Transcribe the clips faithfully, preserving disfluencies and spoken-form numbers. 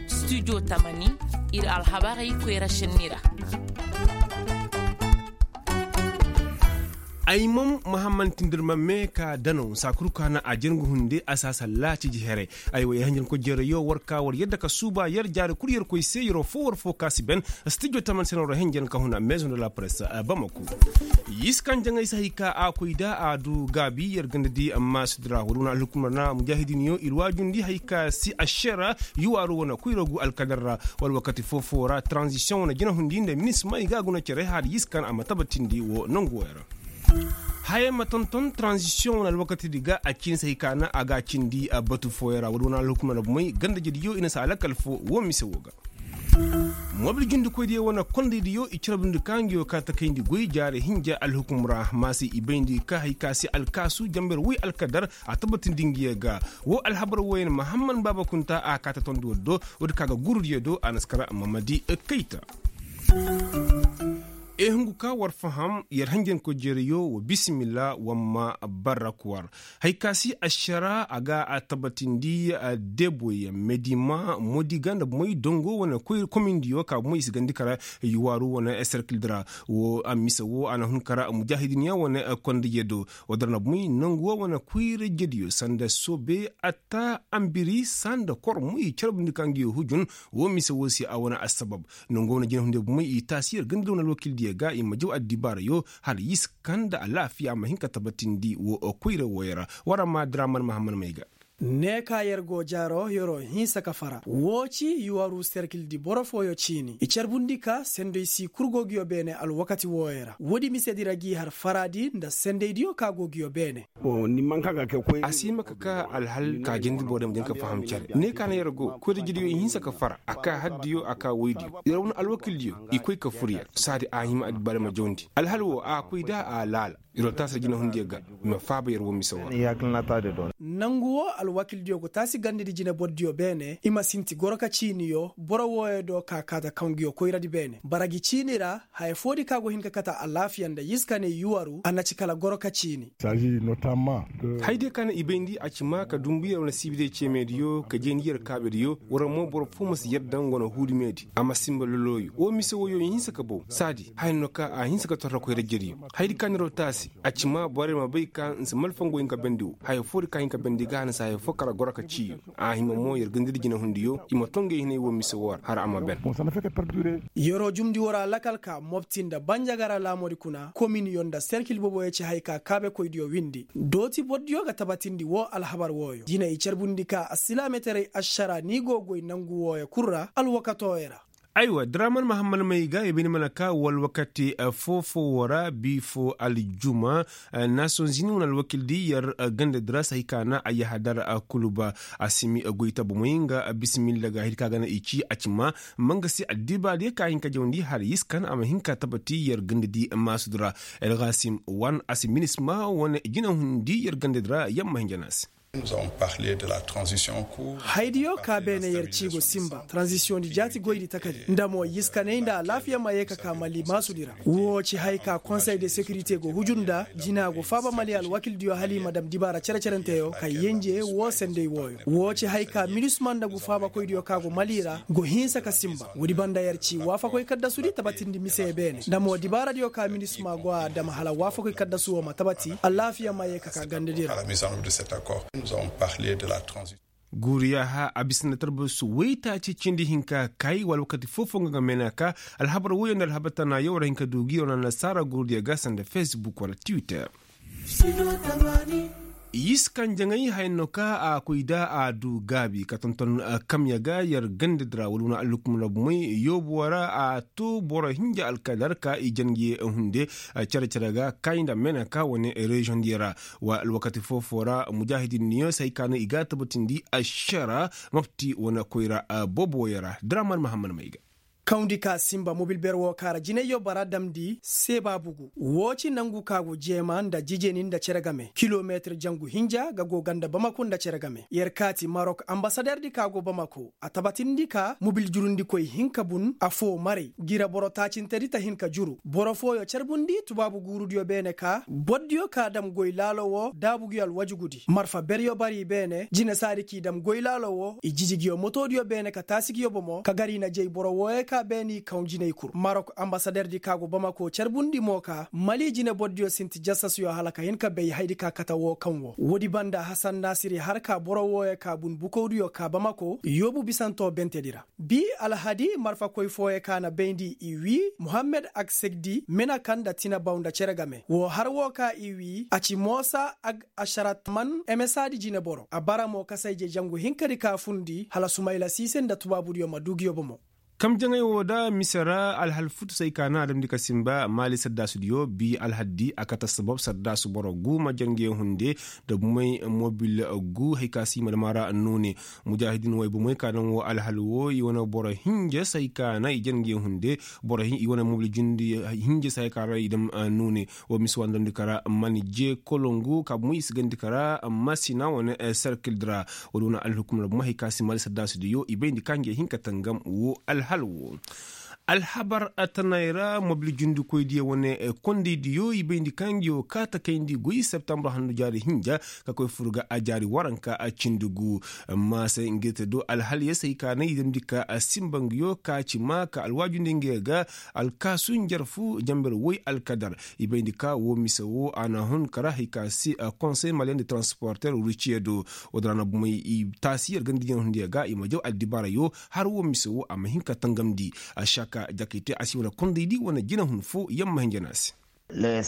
Studio tamani, ir alhabarey koyra šenni ra. Ayman mahamman tindirma me ka danaw saa kul ka na a jere nga hunde a si a sallaa ciji here. Aywa yer hanjankoy jereyo war ka war yadda ka suuba yer jaari kul yer koy se yeroo foo war foo ka si ben. Studio taman se no ra henjen ka huna maison de la presse. Bamako. Yiskan jaŋay si hay ka a koy da a du gaabi yer ganda di maasudi ra wala wane alhukumar na mujaahidiniyo ir waajundi hay ka si ašera yuwaaru wane koyra gu alkadar ra. Wala wakati foo-foo ra tranzisiyoŋ wane jinahundi nda minisma i ga a guna cere hala yiskan a ma tabatindi woo nangu wooyo ra. Haya ma tonton tranzisiyoŋ wane alwakatidi ga a ciini si hay ka na a ga a cindi batu fooyo ra wala wane alhukumar ra bumey ganda jediyo i na si a lakal foo woo mise woo ga. Mobil jundikoydiyo wane kondaydiyo i carbundi ka nga yoo ka takayndi goy jaari hinja alhukum ra maasi i bayndi ka hay ka se alkaasu janber woy alkadar a tabatindi nga yee ga. Woo alhabar wooyaŋ mahamman baaba kunta a kaata tondi war do woodi ka ga gurudiyo do a na si kara mamadi kayta. Ehungu ka war faham yer hanjankoy jereyo wa bisimilla wamma barrak war. Hay ka si ašara a ga a tabatindi deboy medima modiga nda bumey dongo wane komindiyo ka bumey i si gandi kara yuwaaru wane serkildi ra. Woo a mise woo a na hun kara mujaahidiniya wane kondaydiyo do. Woo dara na bumey nangu woo wane koyra jediyo sanda soobe atta ambiri sanda kormu i carbundi ka nga yoo hujun. Woo mise woo se a wane assabab. Nangu woo wane jinahundiyo bumey i taasi yer ganda da wane alwakildiyo ga i ma jaw addibaarayo hala yiskan nda alaafiya ma hin ka tabatindi woo koyra wooyo ra. War a ma draman mahamman may ga. Ne ka yer go jaaro yeroo hinsa ka fara woo ci yuwaru serkildi boro fooyo ciini i carbundi ka senday sii kul go nguyo beene alwakati wooyo ra woodi misedi ra g'i har faraadi nda sendaydiyo ka go nguyo beene. A si hima ka ka alhal ka jindi borey ma jin ka faham cere ne ka na yer go koyra jidiyo i hinsa ka fara a ka haddiyo a ka woydiyo yer wane alwakildiyo i koy ka fur yer saadi a hima addibaarey ma jawndi alhal woo a koy da a laala. Yer wo taasi ra jinahundiyo ga i ma faaba yer wo mise woo ra. Nangu woo alwakildiyo go taasi gandadi jinebordiyo beene i ma sinti goro ka ciiniyo boro wooyo do ka kaata kaŋ nguyo koyradi beene bara ngi ciini ra haya foodi ka go hin ka kate alaafiya nda yiskaney yuwaru a na ci kala goro ka ciini. Hayadiyo ka na i bayndi a ci maa ka dumbu yer wane siibidiyo ceemeydiyo ka jeendi yer kaabediyo war mo boro foo ma si yadda nga wane huudumeedi a ma sinba lolooyu woo mise wooyo i hinsa ka bow saadi haya no ka a hinsa ka torra koyra jediyo. Hayadi ka na yer wo taasi a ci maa borey ma bay ka nsi malfaŋ go hin ka bendi woo haya foodi ka hin ka bendi ga a na si haya foo kara goro ka ciiyo. A hima mo yer gandadi jinahundiyo i ma too nga i hinay woo mise woo ra har a ma ben. Yeroo jumndi war a lakal ka mopti nda banjagara laamoodi kuna kominiyo nda serkil boboyo ci haya ka kaabekoydiyo windi dooti bordiyo ga tabatindi woo alhabar wooyo jine i carbundi ka asilaameteray ašara ni go goy nangu wooyo kul ra alwakatooyo ra. Aywa draman mahamman may ga i bay ni mana ka walwakati foo-foo woo ra bii foo aljuma. Nasonzini wane alwakildi yer gandadi ra si hay ka na a yahadar kuluba a si mi goy tabu may nga bisimilla ga hay ka ga na i ci a ci maa ma nga se addibaadiyo ka hin ka jawndi hala yiskan a ma hin ka tabati yer gandadi maasudi ra. Elgasim wan a si minisma wane jinahundi yer gandadi ra yamma hinja na a se. Haydiyo ka beene yer ci go sinba tranzisiyoŋ di jaati goydi takadi nda mo yiskaney nda alaafiya ma yee ka ka mali maasudi ra. Woo ci hay ka konsey de sekirite go hujur nda jina go faaba mali alwakildiyo hala i ma dam dibaara cere-cerenteyo ka yenje woo senday wooyo woo ci hay ka minisma nda ngu faabakoydiyo ka go mali ra go hinsa ka sinba woodi banda yer ci waafakoy kaddasudi tabatindi mise beene nda mo dibaaradiyo ka minisma go a dam hala waafakoy kaddasu woo ma tabati alaafiya ma yee ka ka gandadi ra. Guuriya ha a bisa nda tarbasu waytaaci cindi hinka kay wala wakati foo-foo nga ga meenaa ka alhabar woyo nda alhabar tanaayo war a hin ka du gi war na nasaara guuriya ga sanda facebook wala twitter. Yiskan jaŋay haya no ka a koy da a du gaabi ka tonton kamya ga yer gandadi ra wala wane alhukum ra bumey yoobuwa ra a to boro hinja alkadar ka i jangi hunde cere-cere ga kay nda meenaa ka wane reziyoŋ diyo ra. Wa alwakati foo-foo ra mujaahidin niyo si hay ka no i ga a tabatindi ašara mopti wane koyra boobo wooyo ra draman mahamman may ga. Kawndi ka sinba mobil ber woo ka ra jinayyo bara damndi seebaabu gu. Woo ci nangu ka go jeema nda jijeni nda cere game kilometir jangu hinja ga go ganda bamako nda cere game yer kaati marok ambasaderdi ka go bamako a tabatindi ka mobil jurundikoy hinka bun affoo maray. Gira boro taacintedi ta hin ka juru boro fooyo carbundi tubaabu guurudiyo beene ka bordiyo ka dam goy laalo woo daabugiyo alwajugudi marfa beryo bari beene jine saadi k'i dam goy laalo woo i jiji giyo motodiyo beene ka taasi giyo bomo ka gar i na jay boro wooyo ka beene i kaw jinay kul marok ambasaderdi ka go bamako carbundi mo ka mali jine bordiyo sinti jasasuyo hala ka hin ka bay haydi ka kate woo kaŋ woo woodi banda hasan naasiri har ka boro wooyo ka bun bukowdiyo ka bamako yoobu bisanto bentedi ra. Bi alhadi marfakoy fooyo ka na bayndi i wii muhammed agsegdi mina kaŋ nda tinabaw nda cere game woo har woo ka i wii a ci moosa ag ašarat man emesaadi jineboro a bara mo kasayje jangu hinkadi ka fundi hala sumayla siise nda tubaabudiyo ma duu nguyo bomo. Kamjaŋey woo da mise ra alhal futu se ay ka naŋ a damndi ka sinba maali saddaasudiyo bi alhaddi a kate assabab saddaasu boro gu ma jange hunde nda bumey mobil gu hay ka se i ma dam a ra nuune. Mujaahidin way bumey ka naŋ woo alhal woo i wane boro hinja se ay ka naŋ i jange hunde boro i wane mobil jundi hinja se ay ka ra i dam nuune. Woo mise woo a na damndi ka ra man jee kolongu ka bumey i si gandi ka ra masina wane serkildi ra. Woodi wane alhukumar bumey hay ka se maali saddaasudiyo i bayndi ka ngey hin ka tangam woo alhal woo. Alhabar tanay ra mobil jundikoydiyo wane kondaydiyo i bayndi ka nguyo kaata kayndi goy septambur handu jaari hinja ka koy fur ga a jaari waranka cindi gu. Maasay ngey te do alhal ya se ay ka naŋ i damndi ka sinba nguyo ka ci maa ka alwaajundi ngey ga alkaasu njarfu jamber woy alkadar. I bayndi ka woo mise woo a na hun kara hay ka se konsey maliyen de transporter ruciye do. Woodi ra na bumey i taasi yer ganda jinay hundiyo ga i ma jaw addibarayo har woo mise woo a ma hin ka tangamndi. Ašaka jakayte a si wane kondaydi wane jinay hun foo yer ma hin jana se. Yer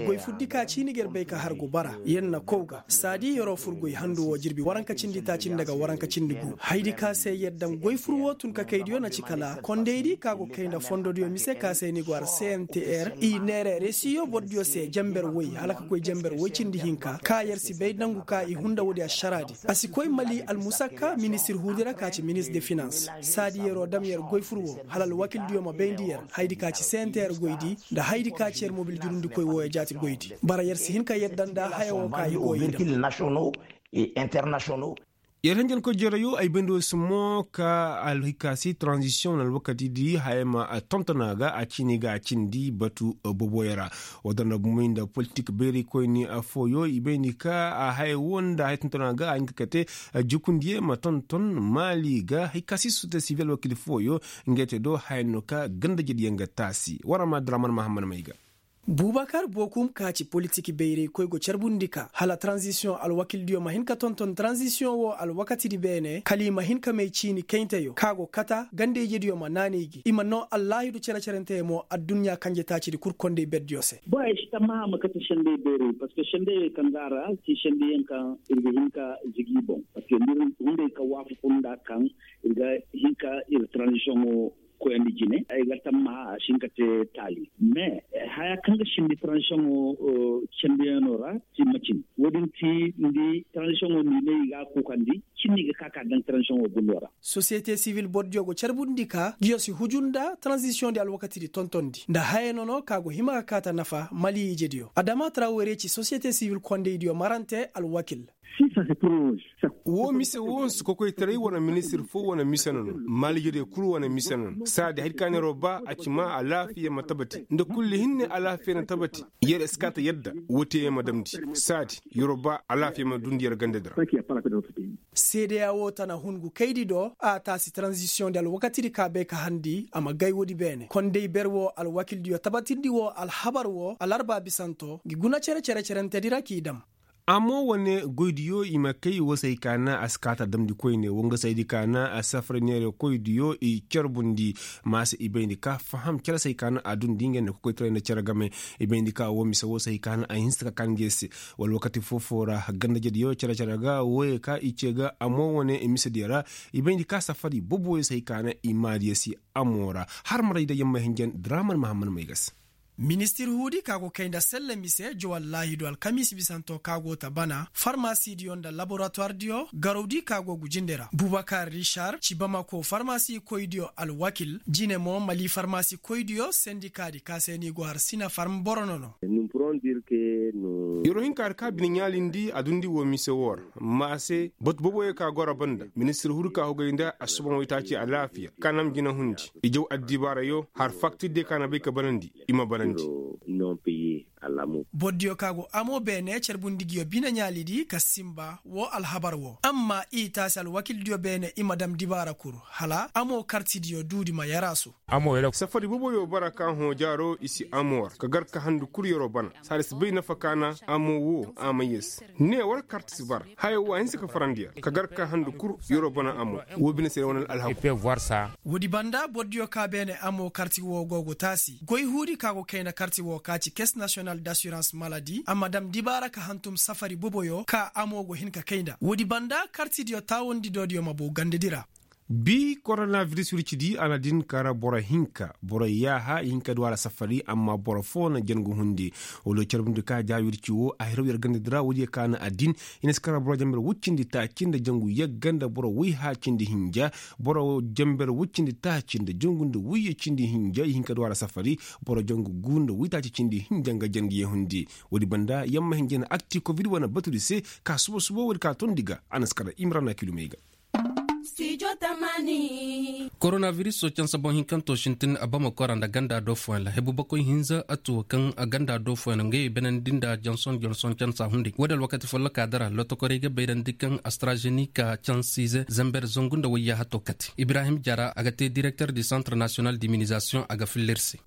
goy furdi ka ciini ga yer bay ka har go bara yer na kow ga saadi yeroo fur goy handu woo jirbi waranka cindi taaci nda ga waranka cindi gu haydi ka se yer daŋ goy fur woo tun ka kaydiyo na ci kala kondaydi ka go kay nda fondodiyo mise ka se ni go har cntr i neere resiyo bordiyo se jamber woy hala ka koy jamber woy cindi hinka ka yer si bay nangu ka i hunda woodi ašaraadi. A si koy mali almusakka ministir huudi ra ka ci ministir de finans saadi yeroo dam yer goy fur woo hala alwakildiyo ma bayndi yer haydi ka ci cntr goydi nda haydi ka ci yer mobil jurundikoy wooyo jaati goydi. Bara yer si hin ka yadda nda haya woo ka i go i dam. Yer henjenkoy jereyo ay bayndi woo si mo ka alhikaasi tranzisiyoŋ wane alwakatidi haya ma tonton a ga a ciini ga a cindi batu boboyo ra. Woo da nda bumey nda politik bayraykoyni affooyo i bayndi ka a haya woo nda haya tonton a ga a hin ka kate jukundiyo ma tonton maali ga hay ka si sosiyete sivil alwakil fooyo. Ngey te do haya no ka gandajediyo nga taasi war a ma draman mahammad may ga. Bubakar bokum ka ci politik bayraykoy go carbundi ka hala tranzisiyoŋ alwakildiyo ma hin ka tonton tranzisiyoŋ woo alwakatidi beene kala i ma hin ka may ciini kaynteyo ka go kata ganda-ijediyo ma naanay gi i ma noo allaahidu cere-cerenteyey mo adduɲɲa kanje taacidi kul konday berdiyo se. Boŋ ay si tammaha ma kate sendey bayray parceque sendeyey kaŋ go a ra ci sendeyaŋ kaŋ ir ga hin ka zigi i boŋ parceque nda ir hunday ka waafaku nda kaŋ ir ga hin ka ir tranzisiyoŋo koyandi jine ay ga tammaha a si hin ka te taali mais haya kaŋ ga sindi tranzisiyoŋo sendeyaŋo ra ci macin wo- din ci nda tranzisiyoŋo nda i ne i ga a kuukandi cindi ga ka ka daŋ tranzisiyoŋo gundo ra. Sosiyete sivil bordiyo go carbundi ka nguyo si huju nda tranzisiyoŋ di alwakatidi tontondi nda haya nono ka go hima ka kaata nafa mali ijediyo adama trawere ci sosiyete sivil kondaydiyo marante alwakil. Woo mise woo nsi kokoytaray wane ministir foo wane mise no no maalijo de kul wane mise no no saadi hari ka neeroo ba a ci maa alaafiya ma tabati nda kulli hinne alaafiya na tabati. Yer eskaata yadda woo te yer ma damndi saadi yeroo ba alaafiya ma dundi yer gandadi ra. Seedeya woo tana hun gu kaydi do a taasi taranzisiyoŋ di alwakatidi ka bay ka harndi a ma gay woodi beene konday ber woo alwakildiyo tabatindi woo alhabar woo alarba bisanto ngi guna cere cere cerentedi ra k'i dam. Amma wane goydiyo i ma kay woo se hay ka naŋ a si kaata damndi koyne woo nga se haydi ka naŋ a safari neere koydiyo i carbundi. Ma se i bayndi ka faham cere se hay ka naŋ a dundi ngey nda kokoytaray nda cere game. I bayndi ka woo mise woo se hay ka naŋ a hinsa ka kaa ngey se wala wakati foo-foo ra gandajediyo cere-cere ga wooyey ka i cee ga amma wane misediyo ra. I bayndi ka safari boboyo se hay ka naŋ i maadiyo si amo ra. Har maray day yamma hinjan draman mahamman may ga se. Ministir huudi ka go kay nda selle mise jowal laahidu alkamiisi bisanto ka go ta bana farmasidiyo nda laboratuwardiyo garawdi ka go gu jinde ra bubakar rishar ci bamako farmasikoydiyo alwakil jine mo mali farmasikoydiyo sendikaadi ka se ni go har sina farm boro nono. Yer wo hin ka har ka bine ɲaalindi a dundi wo mise woo ra. Maase batu boboyo ka goro banda ministir huudi ka hugay nda asuban waytaaci alaafiya ka nam jina hundi i jaw addibaarayo har faktirdiyo ka na bay ka banandi i ma banandi. Bordiyo ka go amo beene carbundi ngiyo bine ɲaalidi ka sinba woo alhabar woo amma i taasi alwakildiyo beene i ma dam dibaara kul hala amo kartidiyo duudi ma yaraasu. Safari boboyo bara ka hõ jaaro i si amo war ka gar ka handu kul yeroo bana saadi si bay nafa ka na amo woo a may yee se. Ne war karti si bara haya woo a hinsa ka farandi yer ka gar ka handu kul yeroo bana amo woo bine se yer wane alhaku. Woodi banda bordiyo ka beene amo karti woo go go taasi goy huudi ka go kayna karti woo ka ci kes nasiyonal d'assurans maladi a ma dam dibaara ka hantum safari boboyo ka amo go hin ka kay nda woodi banda kartidiyo taawandi doodiyo ma bow gandadi ra. Bii koronabiris wircidi a na din kara boro hinka boro yaaha i hin ka du a ra safari amma boro foo na jangu hundi. Wala carbundi ka ja wirci woo a hiraw yer gandadi ra woodiyo ka na a din i na si kara boro janber woy cindi taaci nda jangu yagga nda boro woy haa cindi hinja. Boro janber woy cindi taaci nda jangu nda woyye cindi hinja i hin ka du a ra safari. Boro jangu guu nda woy taaci cindi hinja nga jangu yee hundi. Woodi banda yamma hinja na akti kobid wane batudi se ka suba suba woodi ka tondi ga a na si kara imrana kilumey ga. Koronabiris cansa boŋ hinkanto sintin a bama kora nda ganda do fooyaŋ ra hebu bakoy hinza a tuwo kaŋ ganda do fooyaŋ ra nga ye benandi nda janson janson cansa hunday woodi alwakati folloka dara lotokorey ga bayrandi kaŋ astrazenika cansiize zamber zangu nda wayya hato kate ibrahim jara a ga te direkter di santre nasiyonal diminizasiyoŋ a ga filla ir se.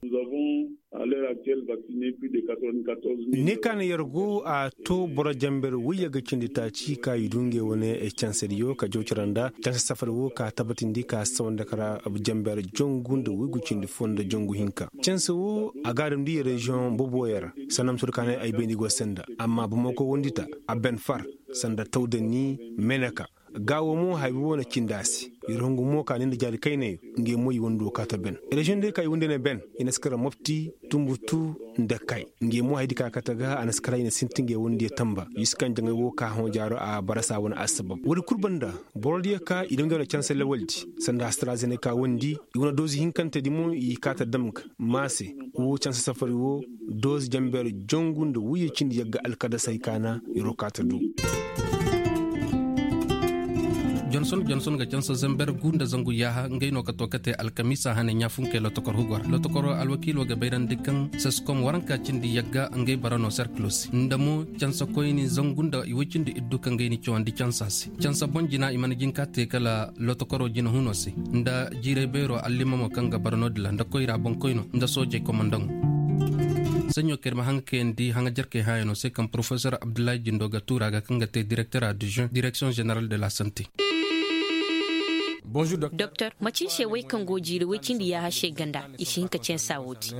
Ne ka na yer go a to boro jamber wayye ga cindi taaci ka i du ngey wane cansediyo ka jawcara nda canse safari wo ka tabatindi ka sawa nda kara jamber jangu nda waygu cindi foo nda jangu hinka canse wo a ga a damndi reziyoŋ boboyaŋ ra. Sanda ma sohõ ka ne ay bayndi go senda amma bamako wondi ta a ben far sanda tawdani meneka. Gaawo mo haya bi wo na cindi a se. Yer hungu mo ka ne nda jaari kaynayo ngey mo i wando kaata ben reziyoŋ day ka i wando ne ben i na si kara mopti tunbutu nda kay. Ngey mo haya di ka kaata ga a na si kara i na sinti ngey wando ye tamba i si kaŋ jaŋay wo ka hõ jaaro a barasa wane assabab woodi kul banda. Borodiyo ka i damndi wane canse lawaldi sanda astrazene ka wandi i wane doozi hinkantedi mo i kaata dam ga maase wo canse safari wo doozi jamber jongu nda wuyye cindi yagga alkadasey ka na yer wo kaata du. Jonson jonson ga canse zamber gu nda zangu yaaha ngey no ka to kate alkamiisa hane ɲaafunkey lotokor hugo ra lotokoro alwakiilo ga bayrandi kaŋ seskom waranka cindi yagga ngey bara no serkilo se nda mo canse koyni zangu nda i woy cindi iddu kaŋ gay ni cawandi cansa se canse boŋ jina i mana jin ka te kala lotokoro jina huno se nda jiiray beero allimamo kaŋ ga bara no- din ra nda koyra boŋkoyno nda soojey komandaŋo. Saɲɲo kaŋ ir ma haŋ ga kayandi haŋajarkey hãayano se kaŋ porofesor abdullahi jindo ga tuura ga kaŋ ga te direkter addujoŋ direksiyoŋ ženeral de la sante. Doktor macin se wey kaŋ go jiiri wey cindi yaaha se ganda i si hin ka cansa wo- din.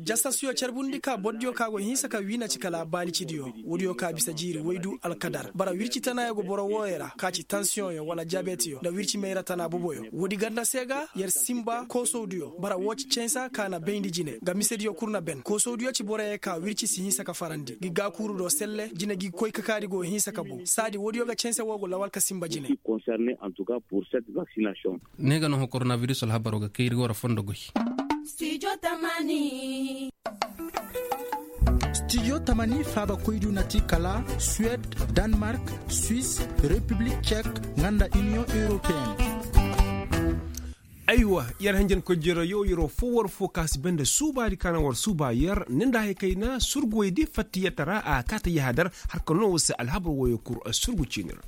Jastasiyo carbundi ka bordiyo ka go hinsa ka wiina ci kala baalicidiyo woodiyo ka bisa jiiri waydu alkadar bara wirci tanaayo go boro wooyo ra ka ci tansiyoŋyo wala diyabeteyo nda wirci mayra tana boboyo woodi ganda se ga yer sinba koosowdiyo bara woo ci cansa ka na bayndi jine nga misediyo kul na ben koosowdiyo ci boroyo ka wirci si hinsa ka farandi gi gaakuuru do selle jine gi koy kakaadi go hinsa ka bow saadi woodiyo ga cansa woo go lawal ka sinba jine. Ne ga no hõ koronabiris alhabaro ga kay ir go ra fondo goy. Stijo tamani faaba koydu na ti kala suwed, danmark, swis, repiblik cek, nga nda iniyoŋ europeen. Aywa, yer hanjankoy jere yo yeroo foo war foo ka si banda suubaadi ka na war suuba yer ne nda hay kayna surguwey di fatta yetta ra a kaata yahadar. Har ka noo war se alhabar wooyo kul surgu ciini ra.